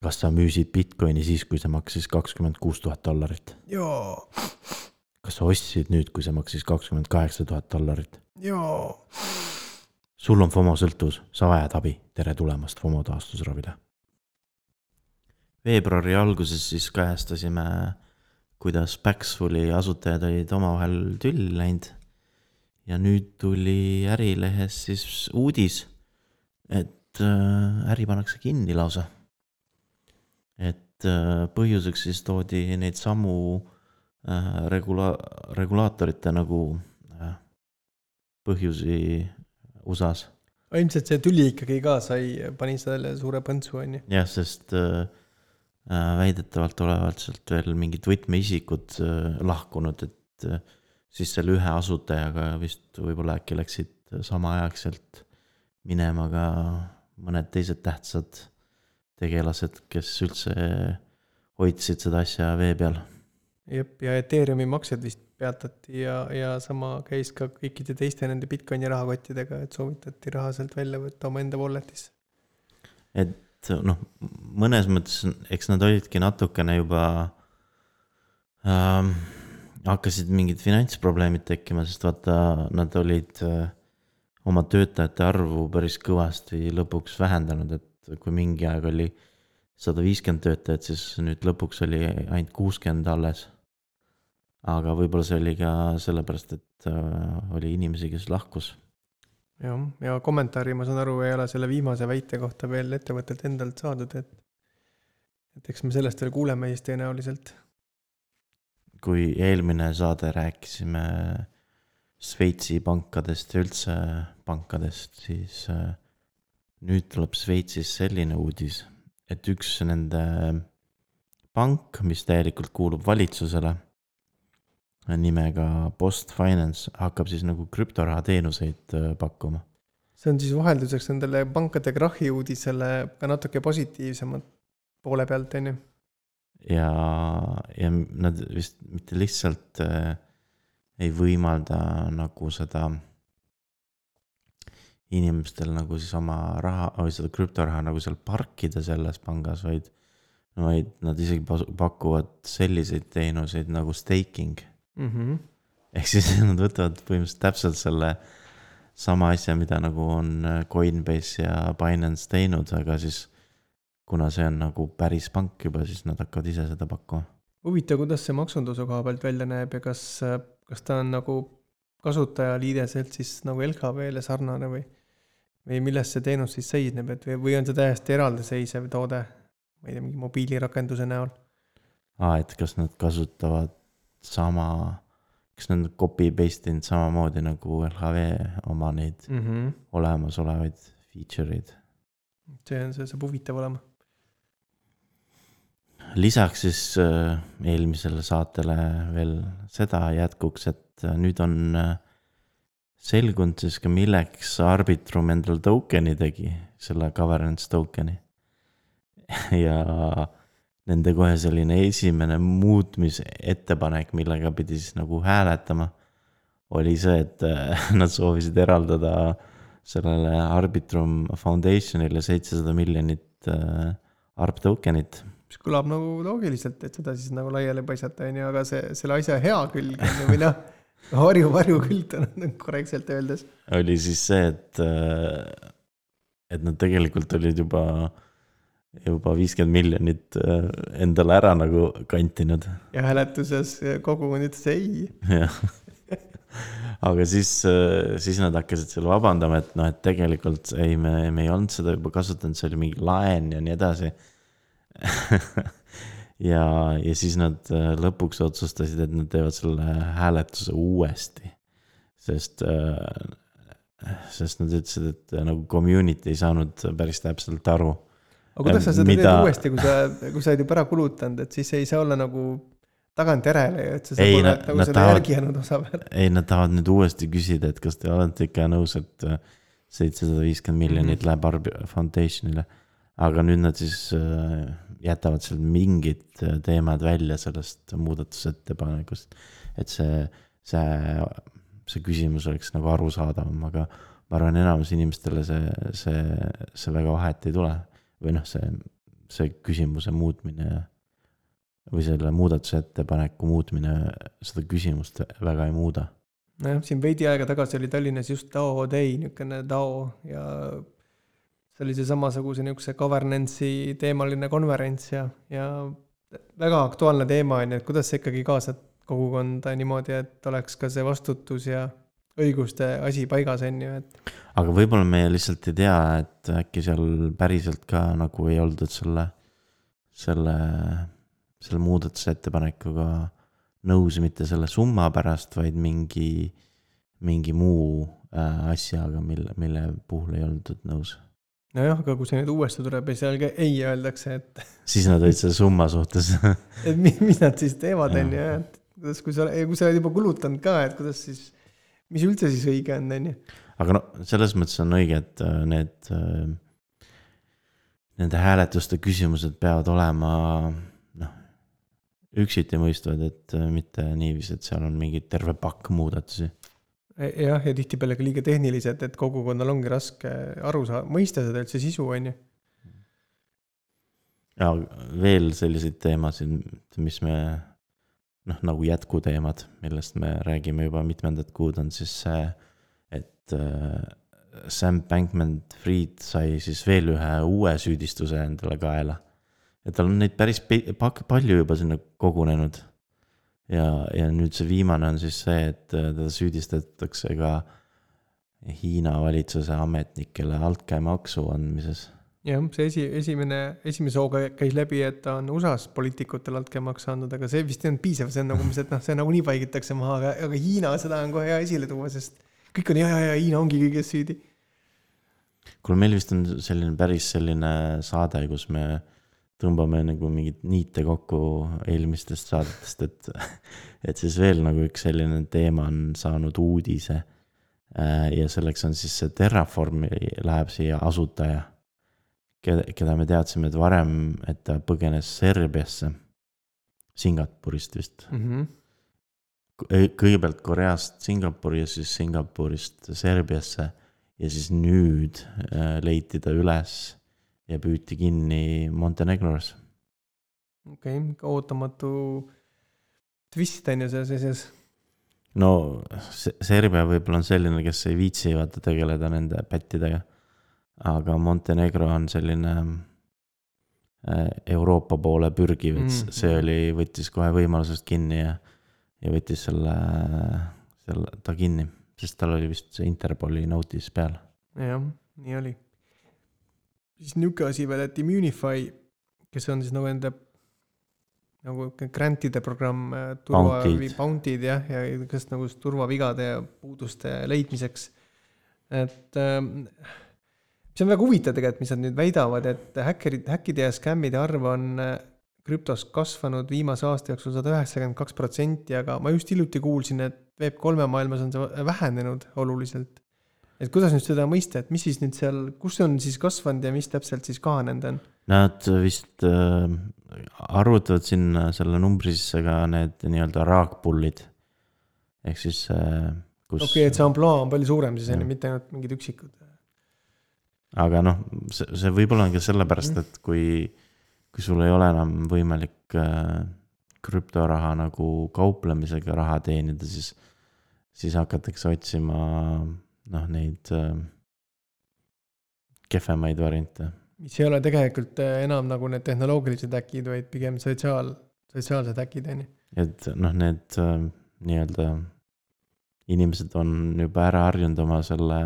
Kas sa müüsid Bitcoini siis, kui see maksis $26,000? Joo. Kas sa ostsid nüüd, kui see maksis $28,000? Joo. Sul on FOMO sõltuvus, sa vajad abi, tere tulemast FOMO taastusravile. Veebruari alguses siis kajastasime, kuidas Paxfuli asutajad olid omavahel tülli läinud. Ja nüüd tuli Ärilehes siis uudis, et äri pannakse kinni lausa. Et põhjuseks siis toodi neid samu regulaatorite nagu põhjusi USAs. Ilmselt see tuli ikkagi ka, pani selle suure põntsu, on ju. Jah, sest väidetavalt olevalt sealt veel mingid võtmeisikud lahkunud, et siis selle ühe asutajaga vist võib-olla äkki läksid samaaegselt minema ka mõned teised tähtsad tegelased, kes üldse hoidsid seda asja vee peal. Jep, ja Ethereumi maksed vist peatati ja sama käis ka kõikide teiste nende Bitcoini rahakottidega, et soovitati raha sealt välja võtta oma enda walletisse. Et mõnes mõttes, eks nad olidki natukene juba hakkasid mingid finantsprobleemid tekkima, sest vaata, nad olid oma töötajate arvu päris kõvasti lõpuks vähendanud, et kui mingi aeg oli 150 töötajat, siis nüüd lõpuks oli ainult 60 alles. Aga võib-olla see oli ka sellepärast, et oli inimesi, kes lahkus. Ja kommentaari, ma saan aru, ei ole selle viimase väite kohta veel ettevõttelt endalt saadud, et eks me sellest veel kuuleme siis tõenäoliselt. Kui eelmine saade rääkisime Šveitsi pankadest ja üldse pankadest, siis nüüd tuleb Šveitsis selline uudis, et üks nende pank, mis täielikult kuulub valitsusele, nimega Post Finance, hakkab siis nagu krüptoraha teenuseid pakkuma. See on siis vahelduseks nendele pankade krahhi uudisele ka natuke positiivsemad poole pealt, on ju? Ja nad vist mitte lihtsalt ei võimalda nagu seda inimestel nagu siis oma raha või seda krüptoraha nagu seal parkida selles pangas, vaid nad isegi pakuvad selliseid teenuseid nagu staking. Ehk siis nad võtavad põhimõtteliselt täpselt selle sama asja, mida nagu on Coinbase ja Binance teinud, aga siis kuna see on nagu päris pank juba, siis nad hakkavad ise seda pakkuma. Huvitav, kuidas see maksunduse koha pealt välja näeb ja kas ta on nagu kasutajaliideselt siis nagu LHV-le sarnane või milles see teenus siis seisneb, või on see täiesti eraldiseisev toode, ma ei tea, mingi mobiilirakenduse näol? Et kas nad kasutavad kas nad copy-paste'inud samamoodi nagu LHV oma neid olemasolevaid feature'id. See saab huvitav olema. Lisaks siis eelmisele saatele veel seda jätkuks, et nüüd on selgunud siis ka milleks Arbitrum endal tokeni tegi, selle governance tokeni. Ja nende kohe selline esimene muutmisettepanek, millega pidi siis nagu hääletama, oli see, et nad soovisid eraldada sellele Arbitrum Foundationile $700 miljonit ARB tokenit. Mis kõlab nagu loogiliselt, et seda siis nagu laiali paisata, aga selle asja hea külg või varju külg on korrektselt öeldes. Oli siis see, et nad tegelikult olid juba 50 miljonit endale ära nagu kantinud. Ja hääletuses kogukond ütles ei. Aga siis nad hakkasid selle vabandama, et tegelikult me ei olnud seda juba kasutanud, see oli mingi laen ja nii edasi. ja siis nad lõpuks otsustasid, et nad teevad selle hääletuse uuesti, sest nad ütlesid, et nagu community ei saanud päris täpselt aru. Aga kuidas sa seda teed uuesti, kui sa oled juba ära kulutanud, et siis ei saa olla nagu tagant järele, et sa saab olla nagu seda järgi jäänud osa peal. Ei, nad tahavad nüüd uuesti küsida, et kas te olete ikka nõus, et 750 miljonit läheb Arbi Foundationile. Aga nüüd nad siis jätavad seal mingid teemad välja sellest muudatusettepanekust, et see küsimus oleks nagu arusaadavam, aga ma arvan, enamus inimestele see väga vahet ei tule. Või see küsimuse muutmine või selle muudatusettepaneku muutmine seda küsimust väga ei muuda. nojah, siin veidi aega tagasi oli Tallinnas just DAO Day, niisugune DAO ja see oli see samasuguse niisuguse governance'i teemaline konverents ja väga aktuaalne teema on, et kuidas sa ikkagi kaasad kogukonda niimoodi, et oleks ka see vastutus ja õiguste asi paigas on ju, et. Aga võib-olla me lihtsalt ei tea, et äkki seal päriselt ka nagu ei oldud selle muudatusettepanekuga nõus mitte selle summa pärast, vaid mingi muu asjaga, mille puhul ei oldud nõus. Nojah, aga kui see nüüd uuesti tuleb ja seal ka ei öeldakse, et siis nad olid selle summa suhtes. et mis nad siis teevad on ju, et kuidas, kui sa oled juba kulutanud ka, et kuidas siis, mis üldse siis õige on ju. Aga no selles mõttes on õige, et nende hääletuste küsimused peavad olema üksiti mõistvad, et mitte niiviisi, et seal on mingi terve pakk muudatusi. Jah, ja tihtipeale ka liiga tehnilised, et kogukonnal ongi raske aru mõista seda üldse sisu on ju. Ja veel selliseid teemasid, mis me nagu jätkuteemad, millest me räägime juba mitmendat kuud, on siis see, et Sam Bankman-Fried sai siis veel ühe uue süüdistuse endale kaela. Ja tal on neid päris palju juba sinna kogunenud. Ja nüüd see viimane on siis see, et teda süüdistatakse ka Hiina valitsuse ametnikele altkäemaksu andmises. Jah, see esimese hooga käis läbi, et ta on USA's poliitikutel altkäemaksu andnud, aga see vist ei olnud piisav, see on nagu, et see nagu nii paigitakse maha, aga Hiina seda on kohe hea esile tuua, sest kõik on ja Hiina ongi kõiges süüdi. Kuule, meil vist on päris selline saade, kus me tõmbame nagu mingid niite kokku eelmistest saadetest, et siis veel nagu üks selline teema on saanud uudise ja selleks on siis see Terraform läheb siia asutaja, keda me teadsime, et varem, et ta põgenes Serbiasse, Singapurist vist. Kõigepealt Koreast Singapuri ja siis Singapurist Serbiasse ja siis nüüd leiti ta üles ja püüti kinni Montenegros. Okei, ootamatu twist on ju selles asjas. No Serbia võib-olla on selline, kes ei viitsi vaata tegeleda nende pättidega, aga Montenegro on selline Euroopa poole pürgiv, et see võttis kohe võimalusest kinni ja võttis selle ta kinni, sest tal oli vist see Interpoli notice peal. Jah, nii oli. Siis niuke asi veel, et Immunify, kes on siis nagu enda nagu grantide programm Bounty'd ja kes nagu turvavigade ja puuduste leidmiseks. Et see on väga huvitav tegelikult, mis nad nüüd väidavad, et häkkide ja skämmide arv on krüptos kasvanud viimase aasta jooksul 192%, aga ma just hiljuti kuulsin, et Web3 maailmas on see vähenenud oluliselt. Et kuidas nüüd seda mõista, et mis siis nüüd seal, kus on siis kasvanud ja mis täpselt siis kahanenud on? Nad vist arvutavad sinna selle numbri sisse ka need nii-öelda raagpullid. Ehk siis kus... Okei, et see amploa on palju suurem, siis on mitte ainult mingid üksikud. Aga see võib-olla on ka sellepärast, et kui sul ei ole enam võimalik krüptoraha nagu kauplemisega raha teenida, siis hakatakse otsima neid kehvemaid variante. Mis ei ole tegelikult enam nagu need tehnoloogilised äkid, vaid pigem sotsiaalsed äkid. Et need nii-öelda inimesed on juba ära harjunud oma selle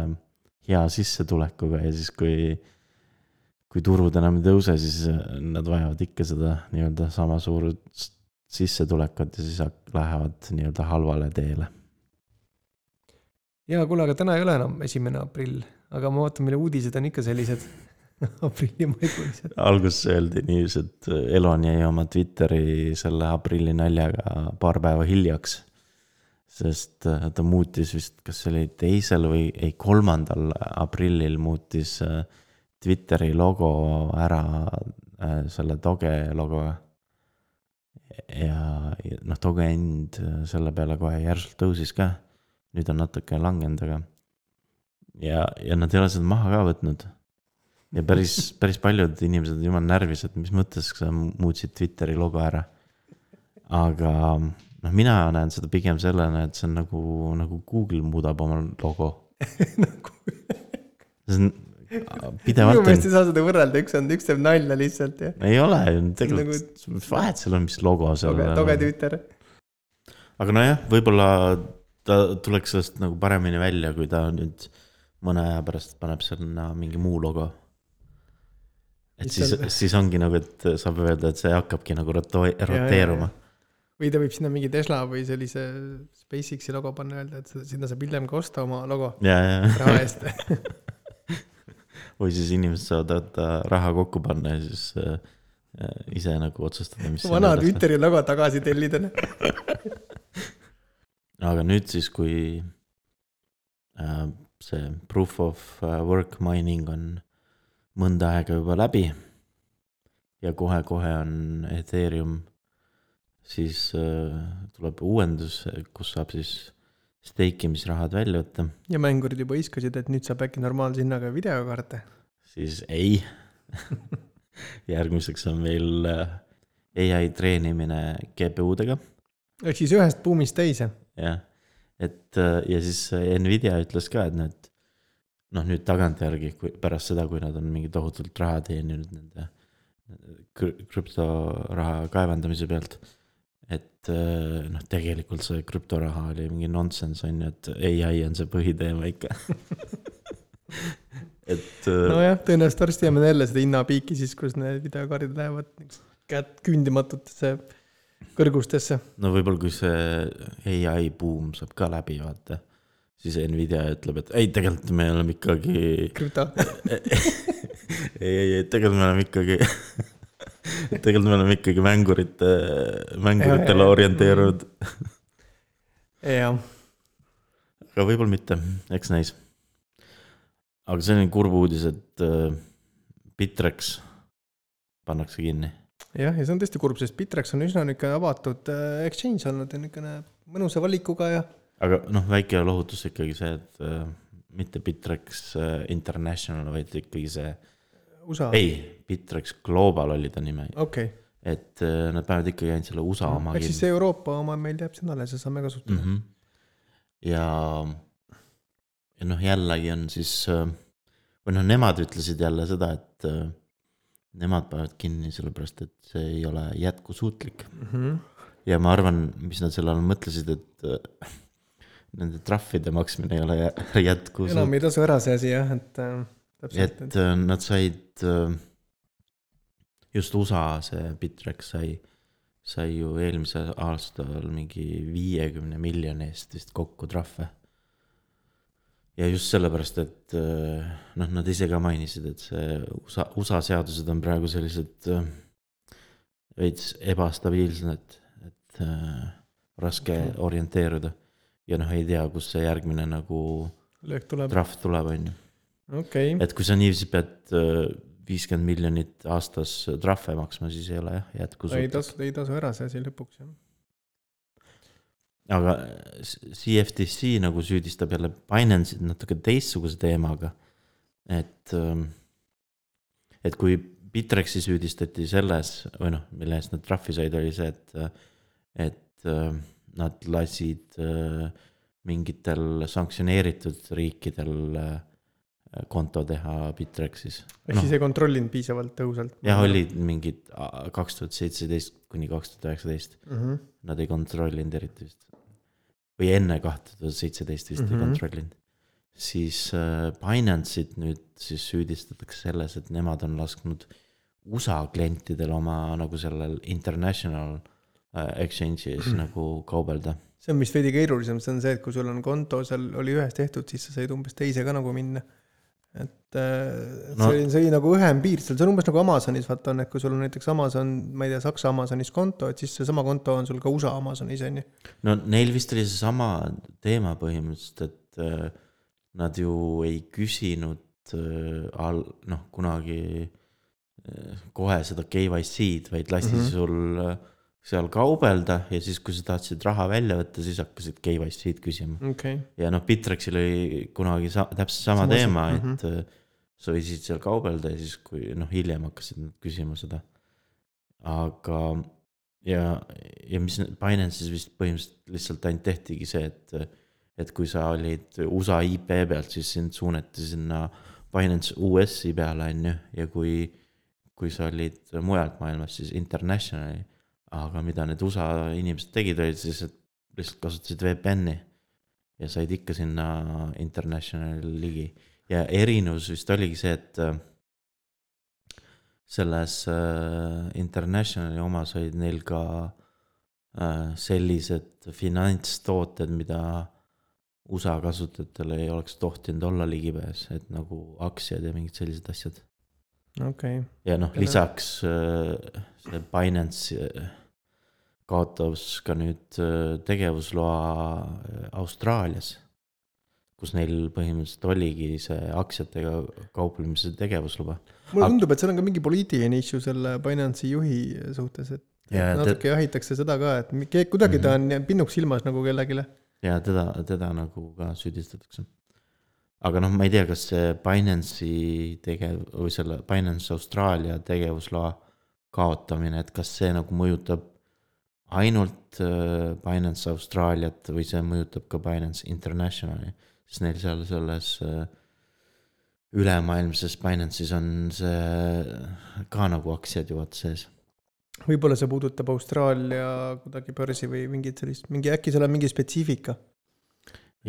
hea sissetulekuga ja siis kui turud enam ei tõuse, siis nad vajavad ikka seda nii-öelda sama suur sissetulekut ja siis lähevad nii-öelda halvale teele. Ja kuule, aga täna ei ole enam 1. aprill, aga ma vaatan, mille uudised on ikka sellised aprillimaikulised. Alguses öeldi niiviisi, et Elon jäi oma Twitteri selle aprilli naljaga paar päeva hiljaks, sest ta muutis vist, kas see oli 2. või 3. aprillil muutis Twitteri logo ära selle Doge logoga. Ja Doge end selle peale kohe järsult tõusis ka. Nüüd on natuke langenud, aga ja nad ei ole seda maha ka võtnud. ja päris paljud inimesed on jumal närvis, et mis mõttes sa muutsid Twitteri logo ära. Aga noh, mina näen seda pigem sellena, et see on nagu Google muudab oma logo. See on pidevalt minu meelest ei saa seda võrrelda, üks teeb nalja lihtsalt ja. Ei ole, tegelikult vahet seal on, mis logo seal toge Twitter. aga nojah, võib-olla ta tuleks sellest nagu paremini välja, kui ta nüüd mõne aja pärast paneb sinna mingi muu logo. Et siis ongi nagu, et saab öelda, et see hakkabki nagu roteeruma. Või ta võib sinna mingi Tesla või sellise SpaceXi logo panna öelda, et sinna saab hiljem ka osta oma logo raha eest. Või siis inimesed saavad raha kokku panna ja siis ise nagu otsustada, mis vana Twitteri logo tagasi tellida. Aga nüüd siis, kui see proof of work mining on mõnda aega juba läbi ja kohe on Ethereum, siis tuleb uuendus, kus saab siis steikimisrahad välja võtta. Ja mängurid juba iskasid, et nüüd saab äkki normaalse hinnaga videokaarte. Siis ei. Järgmiseks on meil AI treenimine GPU-dega. Ehk siis ühest buumist teise. Jah, et ja siis Nvidia ütles ka, et nüüd tagantjärgi pärast seda, kui nad on mingi tohutult raha teeninud nende krüptoraha kaevandamise pealt, et tegelikult see krüptoraha oli mingi nonsense on ju, et AI on see põhiteema ikka. Nojah, tõenäoliselt varsti jääme jälle seda hinnapiiki siis, kus need videokaardid lähevad küündimatutesse kõrgustesse. No võib-olla kui see AI boom saab ka läbi, vaata, siis Nvidia ütleb, et ei, tegelikult me oleme ikkagi krüpto. ei, tegelikult me oleme ikkagi tegelikult me oleme ikkagi mänguritele orienteerunud. Jah. Aga võib-olla mitte, eks näis. Aga see on kurb uudis, et Bittrex pannakse kinni. Jah, ja see on tõesti kurb, sest Bittrex on üsna niisugune avatud exchange olnud ja niisugune mõnusa valikuga ja. Aga väike lohutus ikkagi see, et mitte Bittrex International, vaid ikkagi see USA. Ei, Bittrex Global oli ta nime. Okay. Et nad päevad ikkagi ainult selle USA oma. Ehk siis see Euroopa oma meil jääb sinna, see saame kasutada. Mm-hmm. Ja jällegi on siis, või nemad ütlesid jälle seda, et nemad päevad kinni sellepärast, et see ei ole jätkusuutlik. Mm-hmm. Ja ma arvan, mis nad selle all mõtlesid, et nende trahvide maksmine ei ole jätkusuutlik. Enam ei tasu ära see asi, jah, et nad said just USA see Bittrex sai ju eelmise aastal mingi 50 miljoni eest vist kokku trahve. Ja just sellepärast, et nad ise ka mainisid, et see USA seadused on praegu sellised veits ebastabiilsed, et raske orienteeruda. Ja ei tea, kus see järgmine nagu trahv tuleb, on ju. Okay. Et kui sa niiviisi pead 50 miljonit aastas trahve maksma, siis ei ole jätkusuutlik. Ei tasu ära see asi lõpuks, jah. Aga CFTC nagu süüdistab jälle Binance'id natuke teistsuguse teemaga, et kui Bittrexi süüdistati selles, või mille eest nad trahvi said, oli see, et nad lasid mingitel sanktsioneeritud riikidel konto teha Bittrexis. Ehk siis ei kontrollinud piisavalt tõhusalt? Jah, olid mingid 2017 kuni 2019. Mm-hmm. Nad ei kontrollinud eriti vist. Või enne 2017 vist ei kontrollinud. Siis Binance'id nüüd siis süüdistatakse selles, et nemad on lasknud USA klientidel oma nagu sellel international exchange'is nagu kaubelda. See on vist veidi keerulisem, see on see, et kui sul on konto, seal oli ühes tehtud, siis sa said umbes teise ka nagu minna. Et see oli nagu ühem piir, see on umbes nagu Amazonis, vaata on, et kui sul on näiteks Amazon, ma ei tea, Saksa Amazonis konto, et siis see sama konto on sul ka USA Amazonis, on ju? No neil vist oli see sama teema põhimõtteliselt, et nad ju ei küsinud kunagi kohe seda KYC-d, vaid lasti sul seal kaubelda ja siis, kui sa tahtsid raha välja võtta, siis hakkasid KYC-d küsima. Okay. Ja Bittrexil oli kunagi täpselt sama teema, et sa võisid seal kaubelda ja siis kui hiljem hakkasid nad küsima seda. Aga ja mis Binance'is vist põhimõtteliselt lihtsalt ainult tehtigi see, et kui sa olid USA IP pealt, siis sind suunati sinna Binance US-i peale on ju, ja kui sa olid mujalt maailmas, siis internationali, aga mida need USA inimesed tegid, olid siis, et lihtsalt kasutasid VPN-i ja said ikka sinna internationali ligi. Ja erinevus vist oligi see, et selles internationali omas olid neil ka sellised finantstooted, mida USA kasutajatele ei oleks tohtinud olla ligipääs, et nagu aktsiad ja mingid sellised asjad. Okay. Ja lisaks see Binance kaotas ka nüüd tegevusloa Austraalias, kus neil põhimõtteliselt oligi see aktsiatega kauplemise tegevusluba. Mulle tundub, et seal on ka mingi poliitiline issue selle Binance'i juhi suhtes, et natuke jahitakse seda ka, et kuidagi ta on pinnuks silmas nagu kellegile. Ja teda nagu ka süüdistatakse. Aga ma ei tea, kas see Binance'i või selle Binance Austraalia tegevusloa kaotamine, et kas see nagu mõjutab ainult Binance Austraaliat või see mõjutab ka Binance Internationali, sest neil seal selles ülemaailmses Binance'is on see ka nagu aktsiad juhat sees. Võib-olla see puudutab Austraalia kuidagi börsi või mingid sellist, äkki seal on mingi spetsiifika.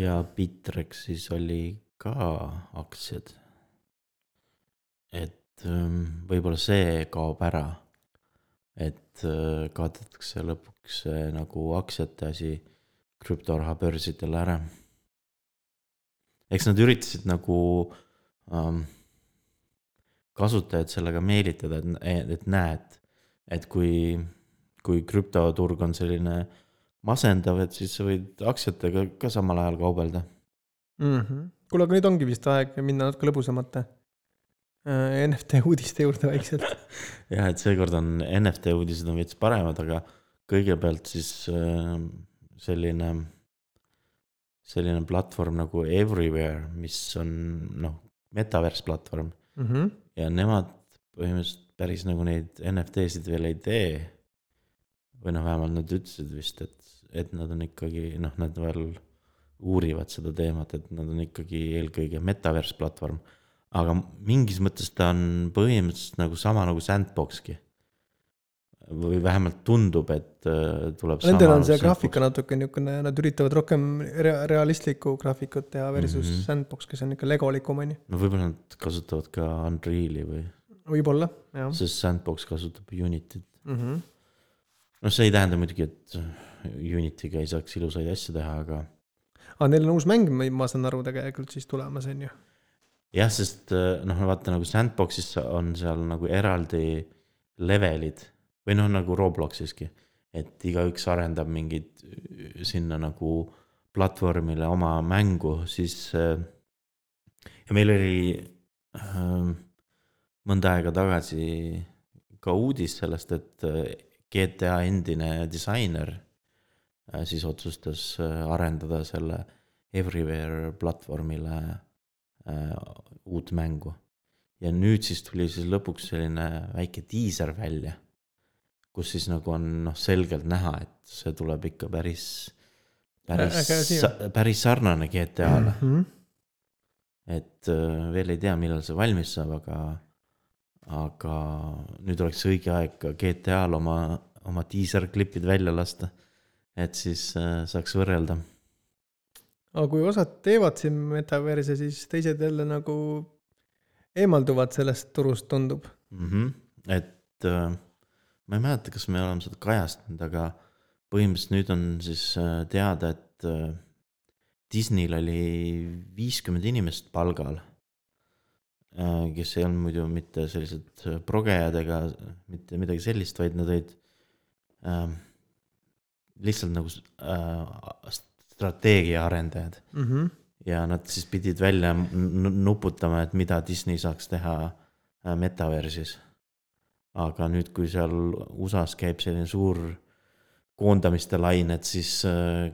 Ja Bitrexis oli ka aktsiad. Et võib-olla see kaob ära, et kaotatakse lõpuks nagu aktsiate asi krüptoraha börsidele ära. Eks nad üritasid nagu kasutajad sellega meelitada, et näed, et kui krüptoturg on selline masendav, et siis sa võid aktsiatega ka samal ajal kaubelda. Kuule, aga nüüd ongi vist aeg minna natuke lõbusamate NFT uudiste juurde vaikselt. Ja, et seekord on NFT uudised on veits paremad, aga kõigepealt siis selline platvorm nagu Everywhere, mis on metaverse platvorm. Ja nemad põhimõtteliselt päris nagu neid NFT-sid veel ei tee. Või vähemalt nad ütlesid vist, et nad on ikkagi, nad veel uurivad seda teemat, et nad on ikkagi eelkõige metaverse platvorm. Aga mingis mõttes ta on põhimõtteliselt nagu sama nagu Sandboxki. Või vähemalt tundub, et tuleb sama. Nendel on see graafika natuke niisugune, nad üritavad rohkem realistlikku graafikut teha versus Sandbox, kes on ikka legolikum. Võib-olla nad kasutavad ka Unreali või? Võib-olla, jah. Sest Sandbox kasutab Unityt. See ei tähenda muidugi, et Unityga ei saaks ilusaid asju teha, aga... Neil on uus mäng, ma saan aru tegelikult siis tulemas, on ju? Jah, sest vaata nagu Sandboxis on seal nagu eraldi levelid või nagu Robloxiski, et igaüks arendab mingid sinna nagu platvormile oma mängu, siis ja meil oli mõnda aega tagasi ka uudis sellest, et GTA endine disainer siis otsustas arendada selle Everywhere platvormile uut mängu. Ja nüüd siis tuli siis lõpuks selline väike teaser välja, kus siis nagu on selgelt näha, et see tuleb ikka päris sarnane GTA-le. Et veel ei tea, millal see valmis saab, aga nüüd oleks õige aeg ka GTA-l oma teaser-klipid välja lasta, et siis saaks võrrelda. Aga kui osad teevad siin metaverse, siis teised jälle nagu eemalduvad sellest turust, tundub. Et ma ei mäleta, kas me oleme seda kajastanud, aga põhimõtteliselt nüüd on siis teada, et Disneyl oli 50 inimest palgal, kes ei olnud muidu mitte sellised progejad ega mitte midagi sellist, vaid nad olid lihtsalt nagu strateegia arendajad. Ja nad siis pidid välja nuputama, et mida Disney saaks teha metaversis. Aga nüüd, kui seal USAs käib selline suur koondamiste lain, et siis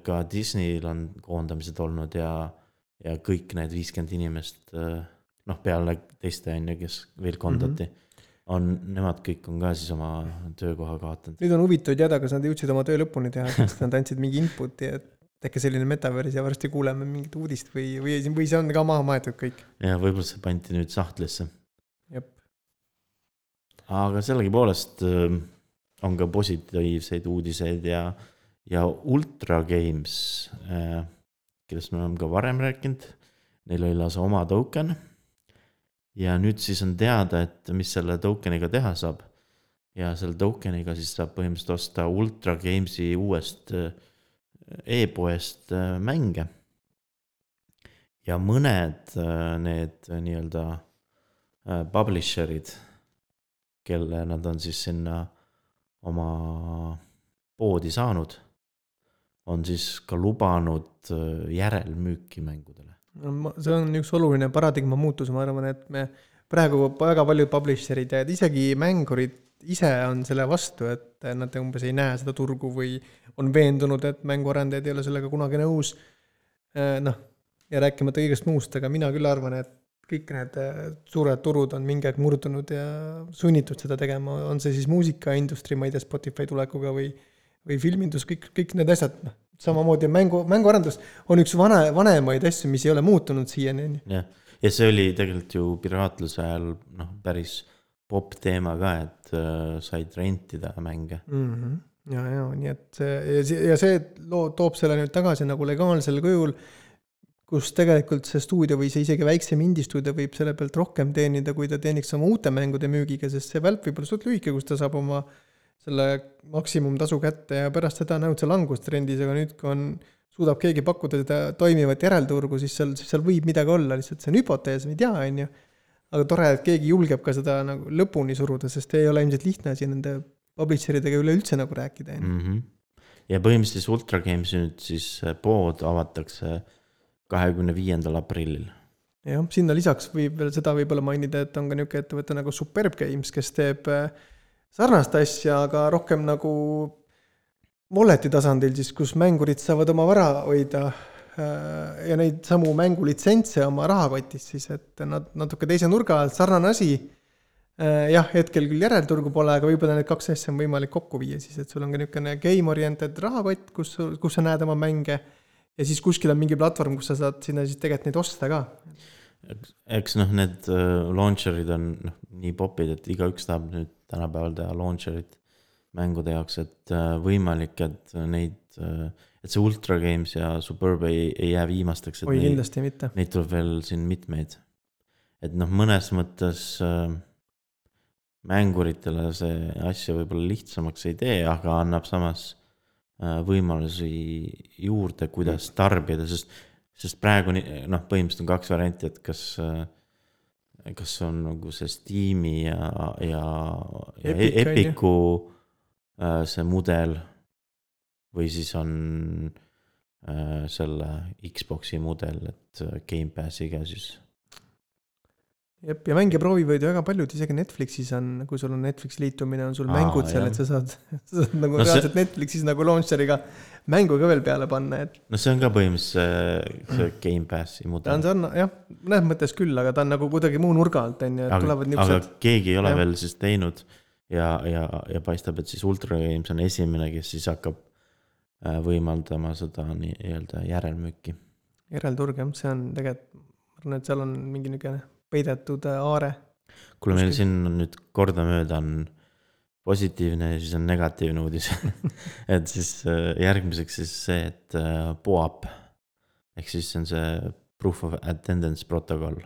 ka Disneyl on koondamised olnud ja kõik need 50 inimest noh, peale teiste on ju, kes veel kondati, nemad kõik on ka siis oma töökoha kaotanud. Nüüd on huvitav teada, kas nad jõudsid oma töö lõpuni teha, kas nad andsid mingi inputi, et äkki selline metaverse ja varsti kuuleme mingit uudist või see on ka maha maetud kõik. Ja võib-olla see pandi nüüd sahtlisse. Jep. Aga sellegipoolest on ka positiivseid uudiseid ja Ultra Games, kellest me oleme ka varem rääkinud, neil oli lausa oma token ja nüüd siis on teada, et mis selle tokeniga teha saab ja selle tokeniga siis saab põhimõtteliselt osta Ultra Gamesi uuest e-poest mänge ja mõned need nii-öelda publisherid, kelle nad on siis sinna oma poodi saanud, on siis ka lubanud järelmüüki mängudele. See on üks oluline paradigma muutus, ma arvan, et me praegu väga paljud publisherid ja isegi mängurid ise on selle vastu, et nad umbes ei näe seda turgu või on veendunud, et mänguarendajad ei ole sellega kunagi nõus. Noh, ja rääkimata kõigest muust, aga mina küll arvan, et kõik need suured turud on mingi aeg murdunud ja sunnitud seda tegema. On see siis muusikaindustri, ma ei tea, Spotify tulekuga või filmindus, kõik need asjad. Samamoodi mänguarendus on üks vanemaid asju, mis ei ole muutunud siiani. Ja see oli tegelikult ju piraatluse ajal päris pop teema ka, et said rentida mänge. Ja, nii et see toob selle nüüd tagasi nagu legaalsel kujul, kus tegelikult see stuudio või see isegi väiksem indie-stuudio võib selle pealt rohkem teenida, kui ta teeniks oma uute mängude müügiga, sest see välp võib olla suht lühike, kus ta saab oma selle maksimumtasu kätte ja pärast seda näud see langustrendis, aga nüüd, kui suudab keegi pakkuda seda toimivat järelturgu, siis seal võib midagi olla, lihtsalt see on hüpotees, me ei tea, on ju. Aga tore, et keegi julgeb ka seda nagu lõpuni suruda, sest ei ole ilmselt lihtne asi nende publisheridega üleüldse nagu rääkida. Ja põhimõtteliselt Ultra Games nüüd siis pood avatakse 25. aprillil. Jah, sinna lisaks võib veel seda võib-olla mainida, et on ka niuke ettevõte nagu Superb Games, kes teeb sarnast asja, aga rohkem nagu walleti tasandil, siis kus mängurid saavad oma vara hoida ja neid samu mängulitsentse oma rahakotis, siis et nad natuke teise nurga alt sarnane asi. Jah, hetkel küll järelturgu pole, aga võib-olla need kaks asja on võimalik kokku viia, siis et sul on ka niisugune game-oriented rahakott, kus sa näed oma mänge ja siis kuskil on mingi platvorm, kus sa saad sinna siis tegelikult neid osta ka. Eks need launcherid on nii popid, et igaüks tahab nüüd tänapäeval teha launcherit mängude jaoks, et võimalik, et et see Ultra Games ja Superb ei jää viimasteks, et kindlasti mitte. Neid tuleb veel siin mitmeid. Et mõnes mõttes mänguritele see asja võib-olla lihtsamaks ei tee, aga annab samas võimalusi juurde, kuidas tarbida, sest praegu põhimõtteliselt on kaks varianti, et kas on nagu see Steam'i ja Epicu see mudel või siis on selle Xboxi mudel, et Game Passiga siis. Jep, ja mängija proovi võid väga paljud, isegi Netflixis on, kui sul on Netflix liitumine, on sul mängud seal, et sa saad nagu reaalselt Netflixis nagu launcheriga mängu ka veel peale panna. See on ka põhimõtteliselt see Game Passi mudel. Ta on jah, näed mõttes küll, aga ta on nagu kuidagi muu nurga alt, aga keegi ei ole veel siis teinud ja paistab, et siis Ultra Games on esimene, kes siis hakkab võimaldama seda nii-öelda järelmüüki. Järelturg, jah, see on tegelikult, ma arvan, et seal on mingi niisugune peidetud aare. Kuule, meil siin on nüüd kordamööda on positiivne ja siis on negatiivne uudis. Et siis järgmiseks siis see, et POAP, ehk siis on see Proof of Attendance protokoll.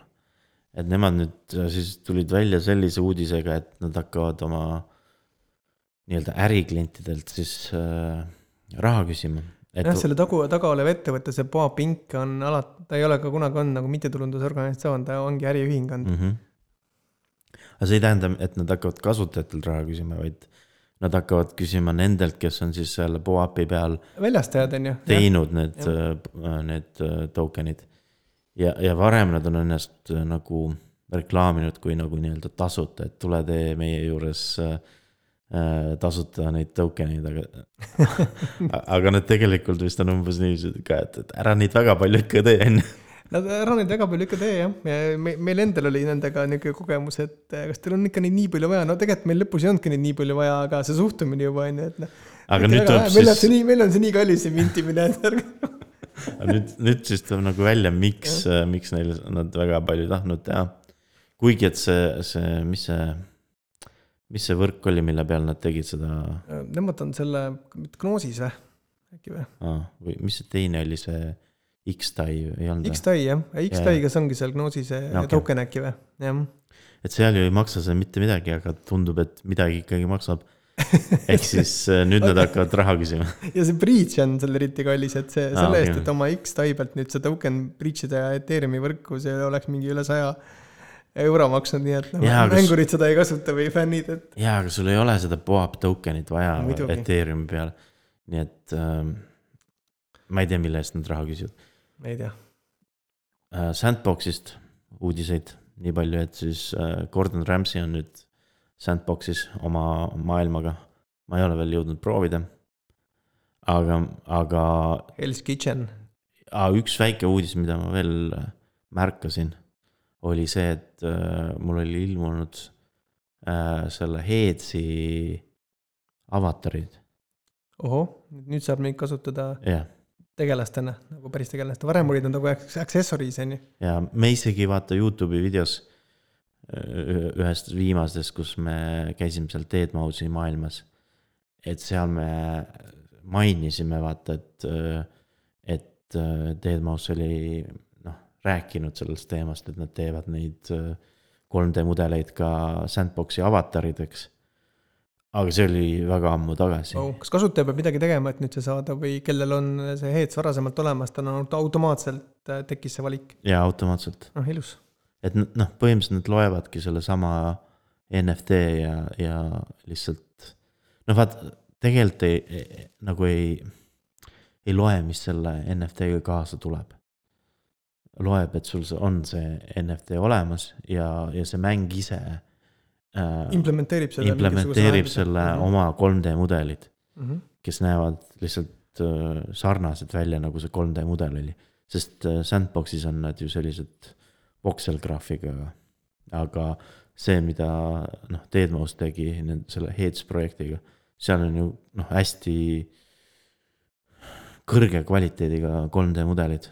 Et nemad nüüd siis tulid välja sellise uudisega, et nad hakkavad oma nii-öelda äriklientidelt siis raha küsima. Selle taga olev ettevõtte, see POAP Inc. on ta ei ole ka kunagi on nagu mittetulundusorganisatsioon, ta ongi äriühing on. Aga see ei tähenda, et nad hakkavad kasutajatelt raha küsima, vaid nad hakkavad küsima nendelt, kes on siis selle POAP-i peal väljastajad on ju teinud need tokenid. Ja varem nad on ennast nagu reklaaminud kui nagu nii-öelda tasuta, et tule tee meie juures tasuta neid tokenid, aga nad tegelikult vist on umbes nii ka, et ära neid väga palju ikka tee. Nad ära neid väga palju ikka tee jah, meil endal oli nendega niisugune kogemus, et kas teil on ikka neid nii palju vaja, no tegelikult meil lõpus ei olnudki neid nii palju vaja, aga see suhtumine juba on ju, et noh. Aga nüüd tuleb siis... Meil on see nii kallis see mintimine, nüüd siis tuleb nagu välja, miks neil nad väga palju tahtnud teha. Kuigi, et mis see võrk oli, mille peal nad tegid seda? Nemad on selle Gnosis või? Äkki või? Või mis see teine oli see X-Tai ei olnud? X-Tai jah, X-Tai, kas ongi seal Gnosis token äkki või? Jah. Et seal ju ei maksa see mitte midagi, aga tundub, et midagi ikkagi maksab. Ehk siis nüüd nad hakkavad raha küsima. Ja see breach on seal eriti kallis, et selle eest, et oma X-Tai pealt nüüd see token breach'ida ja Ethereumi võrku, see oleks mingi üle 100 euro maksnud, nii et mängurid seda ei kasuta või fännid. Jaa, aga sul ei ole seda POAP tokenit vaja Ethereumi peal. Nii et ma ei tea, mille eest nad raha küsivad. Ei tea. Sandboxist uudiseid nii palju, et siis Gordon Ramsay on nüüd Sandboxis oma maailmaga. Ma ei ole veel jõudnud proovida. Aga Hell's Kitchen. Üks väike uudis, mida ma veel märkasin, oli see, et mul oli ilmunud selle Heedsi avatarid. Oho, nüüd saab neid kasutada tegelastena, nagu päris tegelastena. Varem olid nad nagu accessories, on ju. Ja me isegi vaata YouTube'i videos ühest viimastest, kus me käisime seal Deadmau5 maailmas. Et seal me mainisime vaata, et Deadmau5 oli rääkinud sellest teemast, et nad teevad neid 3D mudeleid ka Sandboxi avatarideks. Aga see oli väga ammu tagasi. Kas kasutaja peab midagi tegema, et nüüd see saada või kellel on see Heeds varasemalt olemas, ta on automaatselt tekkis see valik? Jaa, automaatselt. Ilus. Et põhimõtteliselt nad loevadki selle sama NFT ja lihtsalt vaat tegelikult nagu ei loe, mis selle NFT-ga kaasa tuleb. Loeb, et sul on see NFT olemas ja see mäng ise implementeerib selle oma 3D mudelid, kes näevad lihtsalt sarnased välja, nagu see 3D mudel oli. Sest Sandboxis on nad ju sellised voxel-graafiga, aga see, mida Deadmau5 tegi selle Heeds projektiga, seal on ju hästi kõrge kvaliteediga 3D mudelid.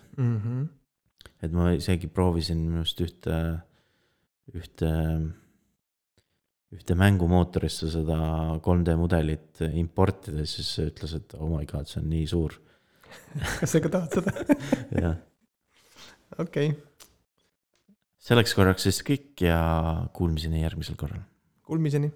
Et ma isegi proovisin minust ühte mängumootorisse seda 3D mudelit importida, siis ütles, et oh my god, see on nii suur. Kas sa ka tahad seda? Jah. Okei. Selleks korraks siis kõik ja kuulmiseni järgmisel korral. Kuulmiseni.